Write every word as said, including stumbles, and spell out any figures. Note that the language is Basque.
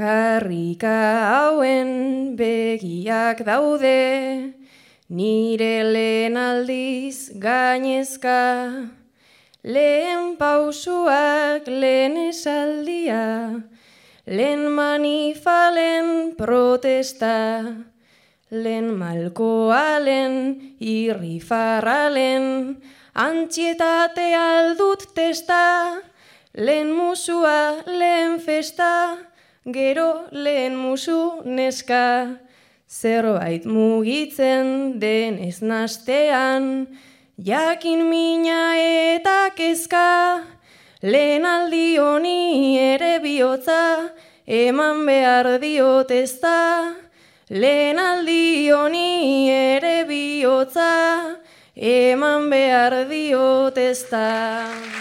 Karrika hauen begiak daude, nire lehen aldiz gainezka, lehen pausuak, lehen esaldia, lehen manifalen protesta, lehen malkoa, lehen irrifarralen, antxietate aldut testa, lehen musua, lehen festa, gero lehen musu neska, zerbait mugitzen denez nastean, jakin mina eta kezka, lehen aldi honi ere bihotza, eman behar diot ezta, lehen aldi honi ere bihotza, eman behar diot ezta.